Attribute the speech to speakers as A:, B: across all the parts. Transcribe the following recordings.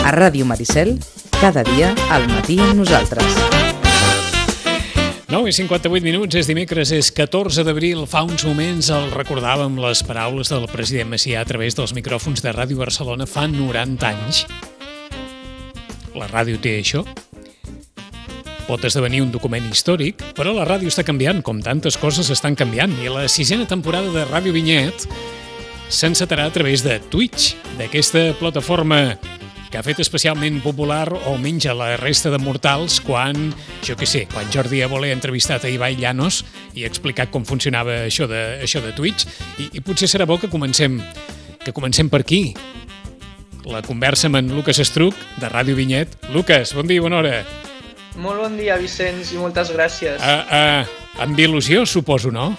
A: A Ràdio Maricel, cada dia al matí amb nosaltres.
B: 9:58, és dimecres, és 14 d'abril. Fa uns moments el recordàvem les paraules del president Macià a través dels micròfons de Ràdio Barcelona fa 90 anys. La ràdio té això. Pot esdevenir un document històric, però la ràdio està canviant, com tantes coses estan canviant, i la 6a temporada de Ràdio Vinyet s'encetarà a través de Twitch, d'aquesta plataforma que ha fet especialment popular, o almenys a la resta de mortals, quan Jordi Évole ha entrevistat a Ibai Llanos i ha explicat com funcionava això de Twitch, i potser serà bo que comencem per aquí. La conversa amb en Lucas Estruch, de Ràdio Vinyet. Lucas, bon dia, bona hora.
C: Molt bon dia, Vicenç, i moltes gràcies.
B: Amb il·lusió, suposo, no?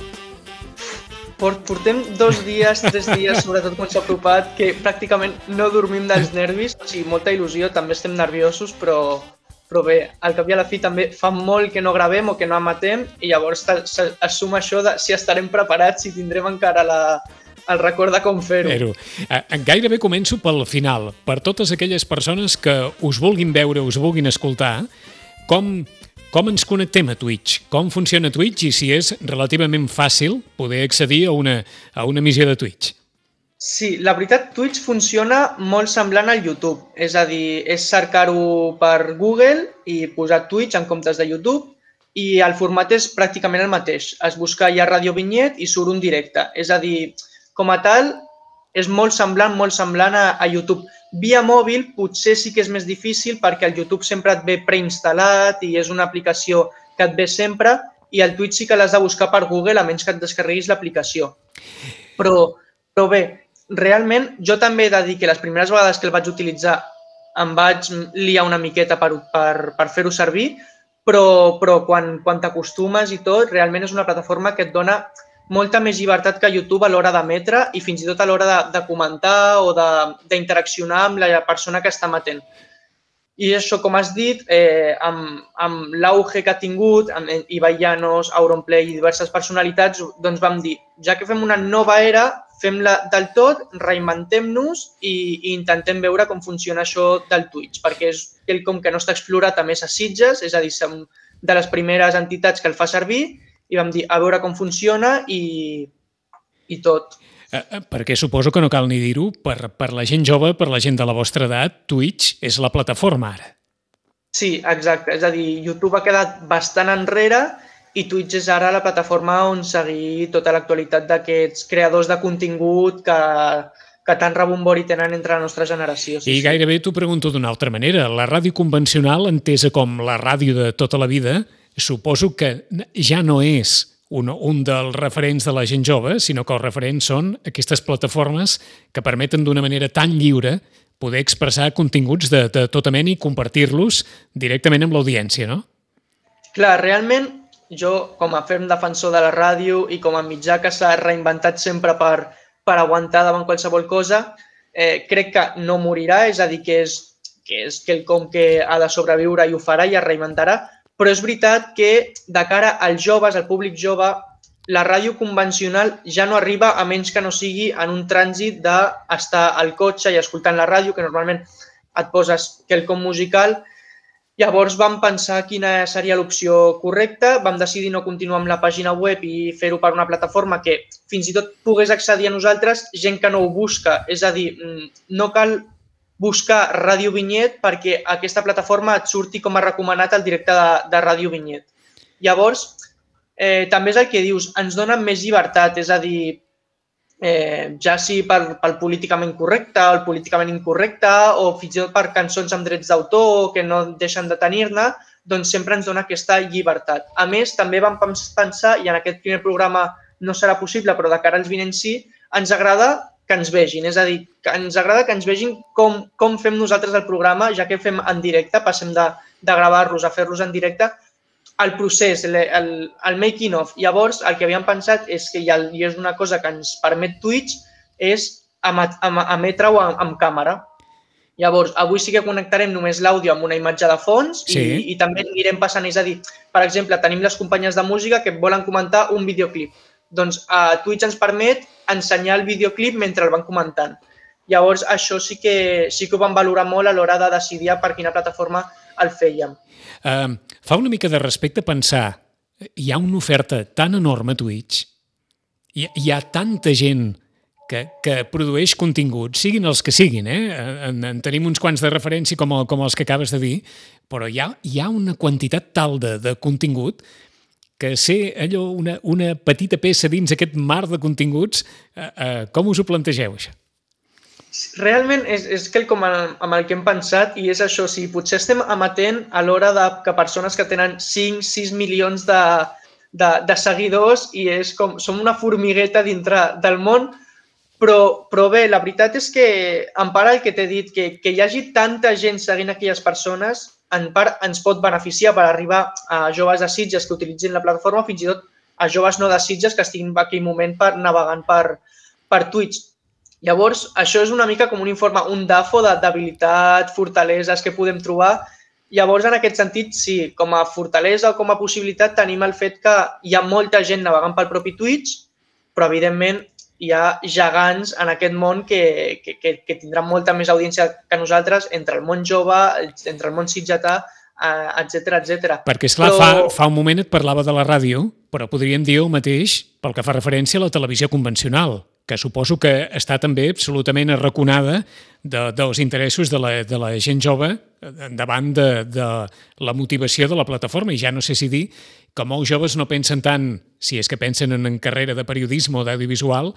C: Portem 2 dies, 3 dies, sobretot quan s'ha apropat, que pràcticament no dormim dels nervis, o sigui, molta il·lusió, també estem nerviosos, però bé, al cap i a la fi també fa molt que no gravem o que no emetem, i llavors es suma això de si estarem preparats, si tindrem encara el record de com fer-ho.
B: Gairebé començo pel final. Per totes aquelles persones que us vulguin veure, us vulguin escoltar, com ens connectem a Twitch? Com funciona Twitch i si és relativament fàcil poder accedir a una emissió de Twitch?
C: Sí, la veritat, Twitch funciona molt semblant al YouTube. És a dir, és cercar-ho per Google i posar Twitch en comptes de YouTube, i el format és pràcticament el mateix. Es busca ja Ràdio Vinyet i surt un directe. És a dir, com a tal, és molt semblant a YouTube. Via mòbil potser sí que és més difícil perquè el YouTube sempre et ve preinstal·lat i és una aplicació que et ve sempre, i el Twitch sí que l'has de buscar per Google a menys que et descarreguis l'aplicació. Però bé, realment jo també he de dir que les primeres vegades que el vaig utilitzar em vaig liar una miqueta per fer-ho servir, però quan t'acostumes i tot, realment és una plataforma que et dona molta més llibertat que YouTube a l'hora d'emetre i fins i tot a l'hora de comentar o d'interaccionar amb la persona que està emetent. I això, com has dit, amb l'auge que ha tingut, amb Ibai Llanos, Auronplay i diverses personalitats, doncs vam dir, ja que fem una nova era, fem-la del tot, reinventem-nos i intentem veure com funciona això del Twitch, perquè és quelcom que no està explorat a més a Sitges, és a dir, som de les primeres entitats que el fa servir, i vam dir a veure com funciona i tot.
B: Perquè suposo que no cal ni dir-ho, per la gent jove, per la gent de la vostra edat, Twitch és la plataforma ara.
C: Sí, exacte. És a dir, YouTube ha quedat bastant enrere i Twitch és ara la plataforma on seguir tota l'actualitat d'aquests creadors de contingut que tant rebombori tenen entre la nostra generació.
B: I gairebé t'ho pregunto d'una altra manera. La ràdio convencional, entesa com la ràdio de tota la vida, suposo que ja no és un dels referents de la gent jove, sinó que els referents són aquestes plataformes que permeten d'una manera tan lliure poder expressar continguts de tota mena i compartir-los directament amb l'audiència, no?
C: Clar, realment, jo, com a ferm defensor de la ràdio i com a mitjà que s'ha reinventat sempre per aguantar davant qualsevol cosa, crec que no morirà, és a dir, que és quelcom que ha de sobreviure i ho farà i es reinventarà. Però és veritat que de cara als joves, al públic jove, la ràdio convencional ja no arriba a menys que no sigui en un trànsit d'estar al cotxe i escoltant la ràdio, que normalment et poses quelcom musical. Llavors vam pensar quina seria l'opció correcta, vam decidir no continuar amb la pàgina web i fer-ho per una plataforma que fins i tot pogués accedir a nosaltres gent que no ho busca. És a dir, no cal buscar Ràdio Vinyet perquè aquesta plataforma et surti com a recomanat al directe de Ràdio Vinyet. Llavors, també és el que dius, ens donen més llibertat, és a dir, ja sigui pel políticament correcte o el políticament incorrecte o fins i tot per cançons amb drets d'autor que no deixen de tenir-ne, doncs sempre ens dona aquesta llibertat. A més, també vam pensar, i en aquest primer programa no serà possible, però de cara als vinents sí, ens agrada que ens vegin, és a dir, que ens agrada que ens vegin com fem nosaltres el programa, ja que fem en directe, passem de gravar-los a fer-los en directe, el procés, el making of. Llavors, el que havíem pensat és que, i és una cosa que ens permet Twitch, és emetre-ho amb càmera. Llavors, avui sí que connectarem només l'àudio amb una imatge de fons i també anirem passant, és a dir, per exemple, tenim les companyes de música que volen comentar un videoclip. Doncs Twitch ens permet ensenyar el videoclip mentre el van comentant. Llavors, això sí que ho vam valorar molt a l'hora de decidir per quina plataforma el fèiem.
B: Fa una mica de respecte pensar, hi ha una oferta tan enorme a Twitch, hi ha tanta gent que produeix continguts, siguin els que siguin, en tenim uns quants de referència com els que acabes de dir, però hi ha una quantitat tal de contingut que ser allò una petita peça dins aquest mar de continguts, com us ho plantegeu, això?
C: Realment és quelcom amb el que hem pensat i és això, potser estem amatent a l'hora que persones que tenen 5-6 milions de seguidors i és com, som una formigueta dintre del món, però bé, la veritat és que en part el que t'he dit, que hi hagi tanta gent seguint aquelles persones, en part ens pot beneficiar per arribar a joves de Sitges que utilitzin la plataforma, fins i tot a joves no de Sitges que estiguin en aquell moment navegant per Twitch. Llavors, això és una mica com un informe, un DAFO d'habilitat, fortaleses que podem trobar. Llavors, en aquest sentit, sí, com a fortalesa o com a possibilitat tenim el fet que hi ha molta gent navegant pel propi Twitch, però evidentment hi ha gegants en aquest món que tindran molta més audiència que nosaltres entre el món jove, entre el món sitgetà, etc.
B: Perquè, esclar, fa un moment et parlava de la ràdio, però podríem dir el mateix pel que fa referència a la televisió convencional, que suposo que està també absolutament arraconada dels interessos de la gent jove davant de la motivació de la plataforma. I ja no sé si dir que molts joves no pensen tant, si és que pensen en carrera de periodisme o d'audiovisual,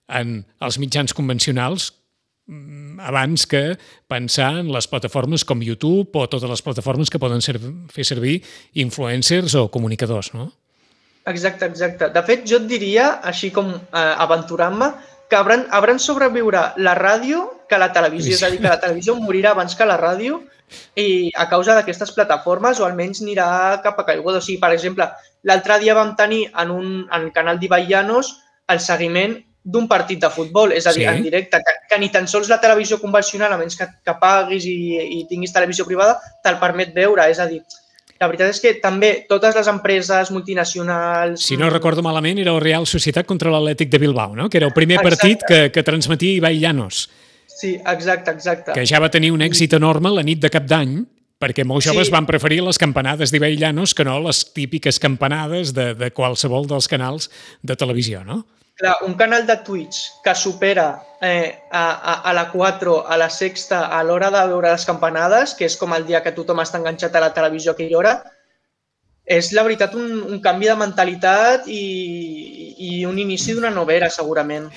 B: en els mitjans convencionals, abans que pensar en les plataformes com YouTube o totes les plataformes que poden fer servir influencers o comunicadors, no?
C: Exacte. De fet, jo et diria, així com aventurant-me, que hauran sobreviure la ràdio que la televisió. És a dir, que la televisió morirà abans que la ràdio i a causa d'aquestes plataformes o almenys anirà cap a caiguda. O sigui, per exemple, l'altre dia vam tenir en el canal d'Ibai Llanos el seguiment d'un partit de futbol, és a dir, en directe, que ni tan sols la televisió convencional, a menys que paguis i tinguis televisió privada, te'l permet veure. És a dir, la veritat és que també totes les empreses multinacionals...
B: Si no recordo malament, era el Real Societat contra l'Atlètic de Bilbao, no? Que era el primer partit que transmetia Ibai Llanos.
C: Sí, exacte.
B: Que ja va tenir un èxit enorme la nit de Cap d'Any, perquè molts joves van preferir les campanades d'Ibai Llanos que no les típiques campanades de qualsevol dels canals de televisió, no?
C: Clar, un canal de Twitch que supera a la 4, a la Sexta, a l'hora de veure les campanades, que és com el dia que tothom està enganxat a la televisió a aquella hora, és la veritat un canvi de mentalitat i un inici d'una nova era, segurament.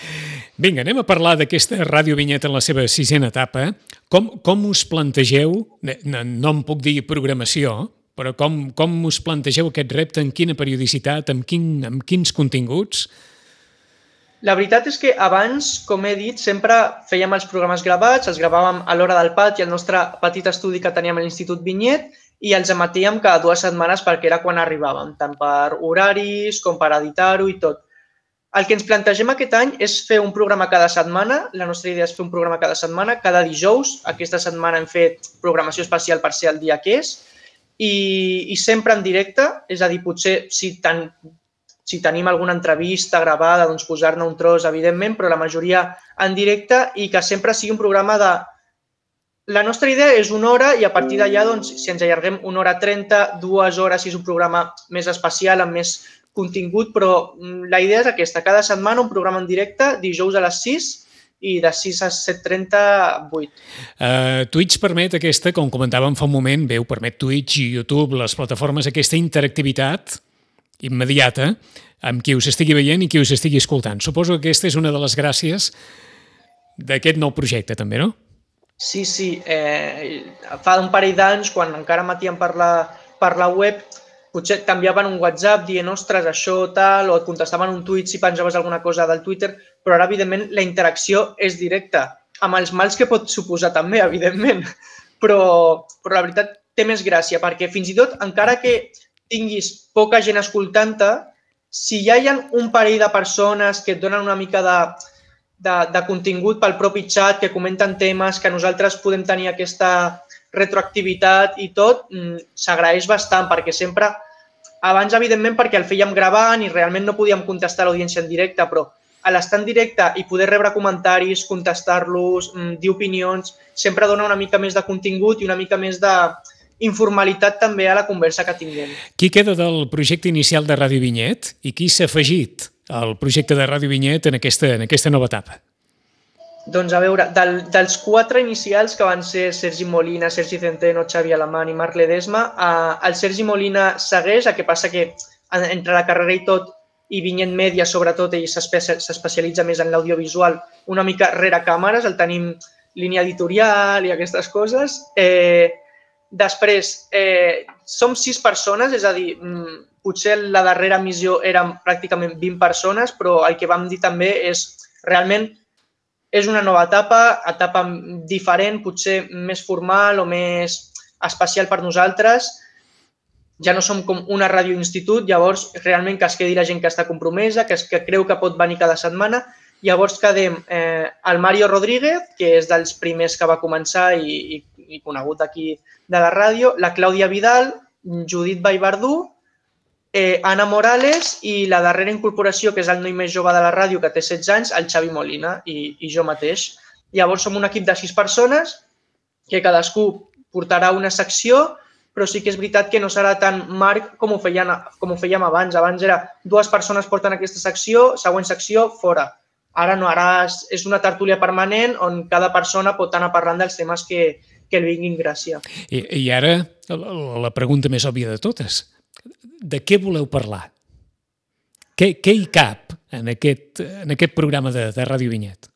B: Vinga, anem a parlar d'aquesta Ràdio Vinyet en la seva 6a etapa. Com us plantegeu, no em puc dir programació, però com us plantegeu aquest repte, en quina periodicitat, amb quins continguts?
C: La veritat és que abans, com he dit, sempre fèiem els programes gravats, els gravàvem a l'hora del pati, al nostre petit estudi que teníem a l'Institut Vinyet, i els emetíem cada 2 setmanes perquè era quan arribàvem, tant per horaris com per editar-ho i tot. El que ens plantegem aquest any és fer un programa cada setmana. La nostra idea és fer un programa cada setmana, cada dijous. Aquesta setmana hem fet programació especial per ser el dia que és, i sempre en directe, és a dir, potser si tenim alguna entrevista gravada, doncs posar-ne un tros, evidentment, però la majoria en directe i que sempre sigui un programa de... La nostra idea és 1 hora i a partir d'allà, doncs, si ens allarguem 1 hora 30, 2 hores, si és un programa més especial, amb més contingut, però la idea és aquesta, cada setmana un programa en directe, dijous a les 6 i de 6 a 7:30, 8.
B: Twitch permet aquesta, com comentàvem fa un moment, permet Twitch i YouTube, les plataformes, aquesta interactivitat immediata amb qui us estigui veient i qui us estigui escoltant. Suposo que aquesta és una de les gràcies d'aquest nou projecte, també, no?
C: Sí. Fa un parell d'anys, quan encara emetíem per la web, potser t'enviaven un WhatsApp dient, ostres, això tal, o et contestaven un tuit si penjaves alguna cosa del Twitter, però ara, evidentment, la interacció és directa, amb els mals que pot suposar també, evidentment. Però la veritat té més gràcia, perquè fins i tot, encara que tinguis poca gent escoltant-te, si ja hi ha un parell de persones que et donen una mica de contingut pel propi xat, que comenten temes, que nosaltres podem tenir aquesta retroactivitat i tot, s'agraeix bastant, perquè sempre, abans evidentment perquè el fèiem gravant i realment no podíem contestar a l'audiència en directe, però a l'estar en directe i poder rebre comentaris, contestar-los, dir opinions, sempre dona una mica més de contingut i una mica més d'informalitat també a la conversa que tinguem.
B: Qui queda del projecte inicial de Ràdio Vinyet i qui s'ha afegit al projecte de Ràdio Vinyet en aquesta nova etapa?
C: Doncs a veure, dels 4 inicials que van ser Sergi Molina, Sergi Centeno, Xavi Alamán i Marc Ledesma, el Sergi Molina segueix, el que passa que entre la carrera i tot, i Vinyet Media sobretot, ell s'especialitza més en l'audiovisual, una mica rere càmeres, el tenim línia editorial i aquestes coses. Després, som 6 persones, és a dir, potser la darrera emissió eren pràcticament 20 persones, però el que vam dir també és realment és una nova etapa diferent, potser més formal o més especial per nosaltres. Ja no som com una ràdio institut, llavors realment que es quedi la gent que està compromesa, que creu que pot venir cada setmana. Llavors quedem el Mario Rodríguez, que és dels primers que va començar i conegut aquí de la ràdio, la Clàudia Vidal, Judit Vallverdú, Anna Morales i la darrera incorporació, que és el noi més jove de la ràdio, que té 16 anys, el Xavi Molina i jo mateix. Llavors som un equip de 6 persones que cadascú portarà una secció, però sí que és veritat que no serà tan marc com ho fèiem abans. Abans era 2 persones porten aquesta secció, següent secció, fora. Ara no, ara és una tertúlia permanent on cada persona pot anar parlant dels temes que li vinguin gràcia.
B: I ara la pregunta més òbvia de totes. De què voleu parlar? Què hi cap en aquest programa de Ràdio Vinyet?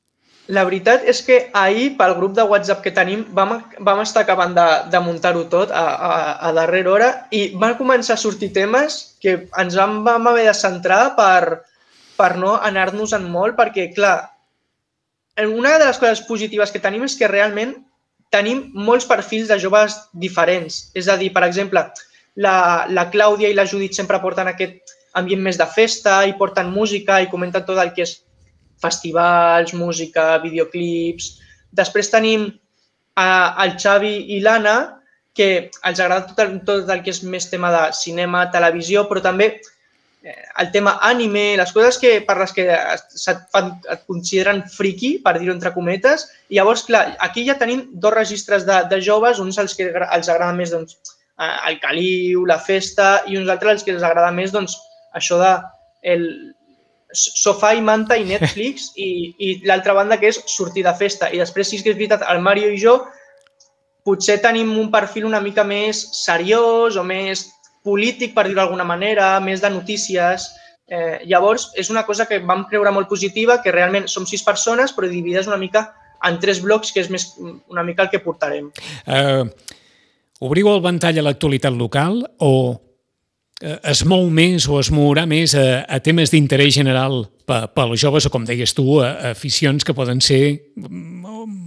C: La veritat és que ahir, pel grup de WhatsApp que tenim, vam estar acabant de muntar-ho tot a darrera hora i van començar a sortir temes que ens vam haver de centrar per no anar-nos en molt, perquè, clar, una de les coses positives que tenim és que realment tenim molts perfils de joves diferents. És a dir, per exemple, la Clàudia i la Judit sempre porten aquest ambient més de festa i porten música i comenten tot el que és festivals, música, videoclips. Després tenim el Xavi i l'Anna, que els agrada tot el que és més tema de cinema, televisió, però també el tema anime, les coses per les que et consideren friki, per dir-ho entre cometes. I llavors, clar, aquí ja tenim 2 registres de joves, uns als que els agrada més el caliu, la festa, i uns altres als que els agrada més això de sofà i manta i Netflix, i l'altra banda que és sortir de festa. I després sí que és veritat, el Mario i jo potser tenim un perfil una mica més seriós o més polític, per dir-ho d'alguna manera, més de notícies. Llavors, és una cosa que vam creure molt positiva, que realment som 6 persones, però dividides una mica en 3 blocs, que és més una mica el que portarem.
B: Obriu el ventall a l'actualitat local o es mou més o es mourà més a temes d'interès general pels joves o, com deies tu, a aficions que poden ser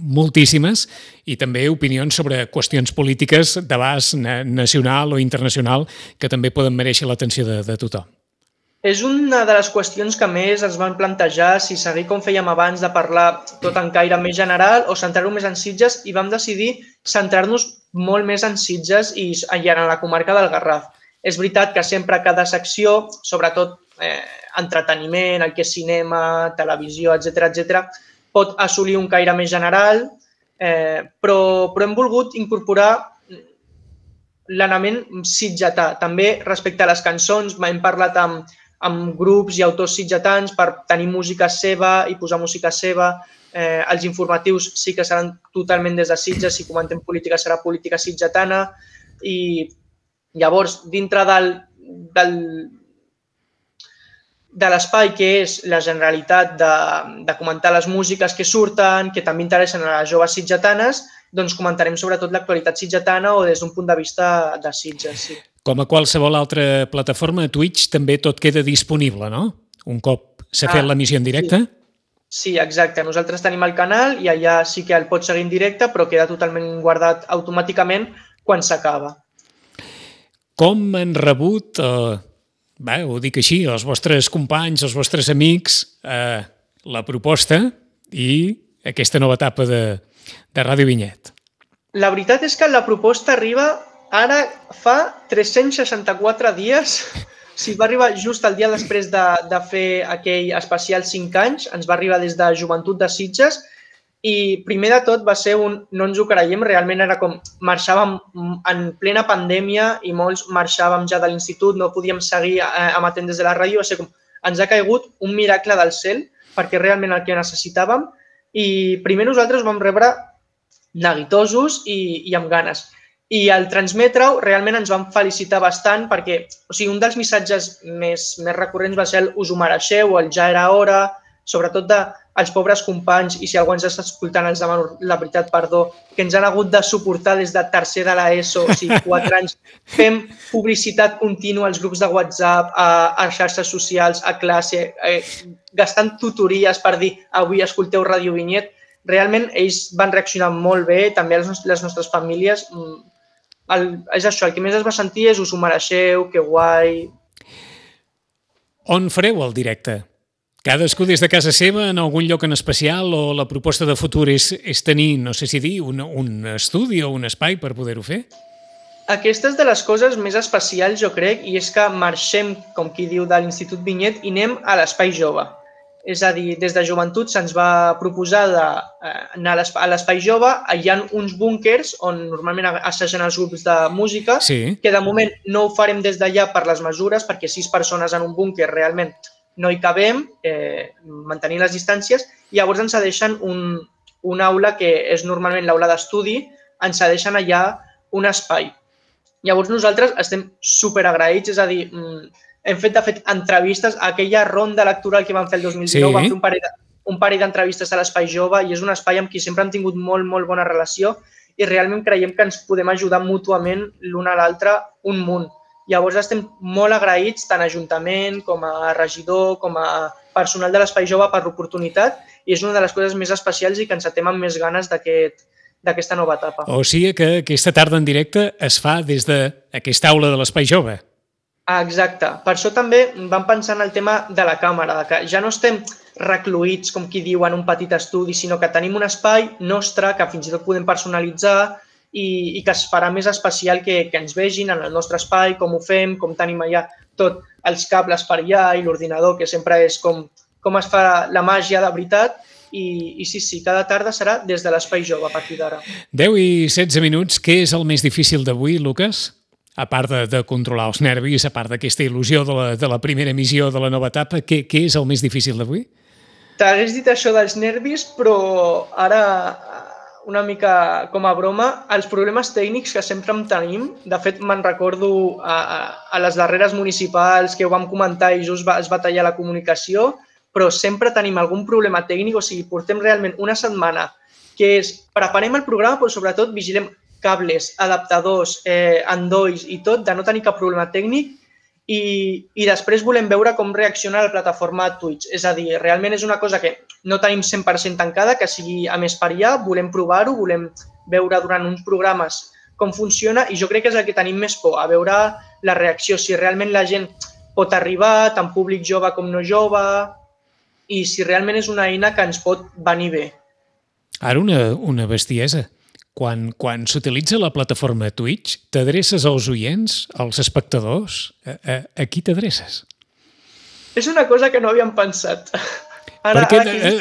B: moltíssimes i també opinions sobre qüestions polítiques d'abast nacional o internacional que també poden mereixer l'atenció de tothom?
C: És una de les qüestions que més ens van plantejar, si seguir com fèiem abans de parlar tot en caire més general o centrar-ho més en Sitges, i vam decidir centrar-nos molt més en Sitges i en la comarca del Garraf. És veritat que sempre cada secció, sobretot entreteniment, el que és cinema, televisió, etc., pot assolir un caire més general, però hem volgut incorporar l'element sitgetà. També respecte a les cançons, hem parlat amb grups i autors sitgetans per tenir música seva i posar música seva. Els informatius sí que seran totalment des de Sitges, si comentem política serà política sitgetana, i llavors, dintre de l'espai que és la generalitat de comentar les músiques que surten, que també interessen a les joves sitgetanes, doncs comentarem sobretot l'actualitat sitgetana o des d'un punt de vista de Sitges. Sí.
B: Com a qualsevol altra plataforma, Twitch també tot queda disponible, no? Un cop s'ha fet l'emissió en directe?
C: Sí, exacte. Nosaltres tenim el canal i allà sí que el pots seguir en directe, però queda totalment guardat automàticament quan s'acaba.
B: Com han rebut, ho dic així, els vostres companys, els vostres amics, la proposta i aquesta nova etapa de Ràdio Vinyet?
C: La veritat és que la proposta arriba ara fa 364 dies Sí, va arribar just el dia després de fer aquell especial 5 anys, ens va arribar des de Joventut de Sitges i primer de tot va ser no ens ho creiem, realment era com marxàvem en plena pandèmia i molts marxàvem ja de l'institut, no podíem seguir emetent des de la ràdio, va ser com ens ha caigut un miracle del cel perquè realment el que necessitàvem i primer nosaltres ho vam rebre neguitosos i amb ganes. I al transmetre-ho realment ens vam felicitar bastant perquè un dels missatges més recurrents va ser el us ho mereixeu o el ja era hora, sobretot dels pobres companys i si algú ens està escoltant els demano la veritat, perdó, que ens han hagut de suportar des de tercer de l'ESO, 4 anys, fem publicitat contínua als grups de WhatsApp, a xarxes socials, a classe, gastant tutories per dir avui escolteu Ràdio Vinyet. Realment ells van reaccionar molt bé, també les nostres famílies. És això, el que més es va sentir és us ho mereixeu, que guai.
B: On fareu el directe? Cadascú des de casa seva, en algun lloc en especial, o la proposta de futur és tenir, no sé si dir, un estudi o un espai per poder-ho fer?
C: Aquesta és de les coses més especials, jo crec, i és que marxem, com qui diu, de l'Institut Vinyet i anem a l'Espai Jove. És a dir, des de Joventut se'ns va proposar d'anar a l'Espai Jove, hi ha uns búnkers on normalment assagen els grups de música, que de moment no ho farem des d'allà per les mesures, perquè 6 persones en un búnquer realment no hi cabem, mantenint les distàncies, i llavors ens cedeixen una aula que és normalment l'aula d'estudi, ens cedeixen allà un espai. Llavors nosaltres estem superagraïts, és a dir, hem fet, de fet, entrevistes. Aquella ronda electoral que vam fer el 2019, vam fer un parell d'entrevistes a l'Espai Jove i és un espai amb qui sempre hem tingut molt, molt bona relació i realment creiem que ens podem ajudar mútuament l'un a l'altre un munt. Llavors estem molt agraïts tant a Ajuntament com a regidor, com a personal de l'Espai Jove per l'oportunitat i és una de les coses més especials i que ens atem amb més ganes d'aquesta nova etapa.
B: O sigui que aquesta tarda en directe es fa des d'aquesta aula de l'Espai Jove.
C: Exacte. Per això també vam pensar en el tema de la càmera, que ja no estem recluïts, com qui diu, en un petit estudi, sinó que tenim un espai nostre que fins i tot podem personalitzar i que es farà més especial que ens vegin en el nostre espai, com ho fem, com tenim allà tot els cables per allà i l'ordinador, que sempre és com es fa la màgia de veritat. I sí, cada tarda serà des de l'Espai Jove a partir d'ara.
B: 10 i 16 minuts. Què és el més difícil d'avui, Lucas? A part de controlar els nervis, a part d'aquesta il·lusió de la primera emissió de la nova etapa, què és el més difícil d'avui?
C: T'hagués dit això dels nervis, però ara, una mica com a broma, els problemes tècnics que sempre en tenim, de fet me'n recordo a les darreres municipals que ho vam comentar i just es va tallar la comunicació, però sempre tenim algun problema tècnic, o sigui, portem realment una setmana que és, preparem el programa, però sobretot vigilem cables, adaptadors, endolls i tot, de no tenir cap problema tècnic i després volem veure com reacciona la plataforma Twitch. És a dir, realment és una cosa que no tenim 100% tancada, que sigui a més per allà, volem provar-ho, volem veure durant uns programes com funciona i jo crec que és el que tenim més por, a veure la reacció, si realment la gent pot arribar, tant públic jove com no jove, i si realment és una eina que ens pot venir bé.
B: Ara una bestiesa. Quan s'utilitza la plataforma Twitch, t'adreces als oients, als espectadors? A qui t'adreces?
C: És una cosa que no havíem pensat.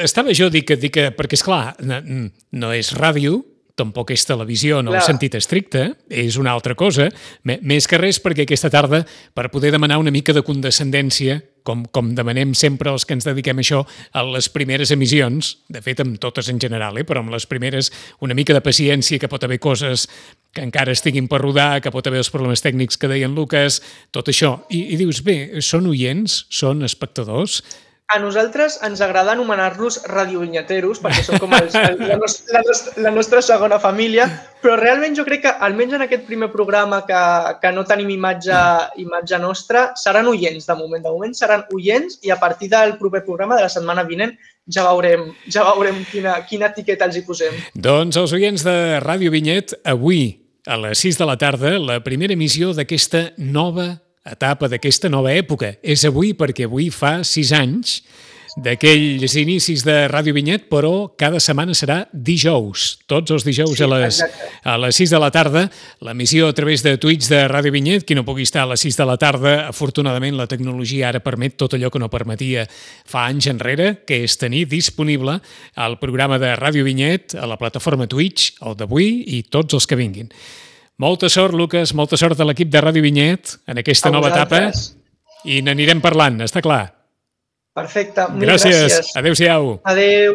B: Estava jo dic que perquè, esclar, no és ràdio, tampoc és televisió en el sentit estricte, és una altra cosa, més que res perquè aquesta tarda, per poder demanar una mica de condescendència, com demanem sempre els que ens dediquem a això, a les primeres emissions, de fet amb totes en general, però amb les primeres una mica de paciència, que pot haver coses que encara estiguin per rodar, que pot haver els problemes tècnics que deien Lucas, tot això. I dius, bé, són oients, són espectadors.
C: A nosaltres ens agrada anomenar-los radiovinyeteros, perquè són com la nostra segona família, però realment jo crec que, almenys en aquest primer programa que no tenim imatge nostra, seran oients de moment. De moment seran oients i a partir del proper programa de la setmana vinent ja veurem quina etiqueta els hi posem.
B: Doncs els oients de Ràdio Vinyet, avui a les 6 de la tarda, la primera emissió d'aquesta nova etapa, d'aquesta nova època. És avui perquè avui fa 6 anys d'aquells inicis de Ràdio Vinyet, però cada setmana serà dijous. Tots els dijous a les 6 de la tarda. L'emissió a través de Twitch de Ràdio Vinyet. Qui no pugui estar a les 6 de la tarda, afortunadament la tecnologia ara permet tot allò que no permetia fa anys enrere, que és tenir disponible el programa de Ràdio Vinyet a la plataforma Twitch, el d'avui i tots els que vinguin. Molta sort, Lucas, molta sort a l'equip de Ràdio Vinyet en aquesta nova etapa i n'anirem parlant, està clar.
C: Perfecte, gràcies.
B: Adéu-siau.
C: Adéu.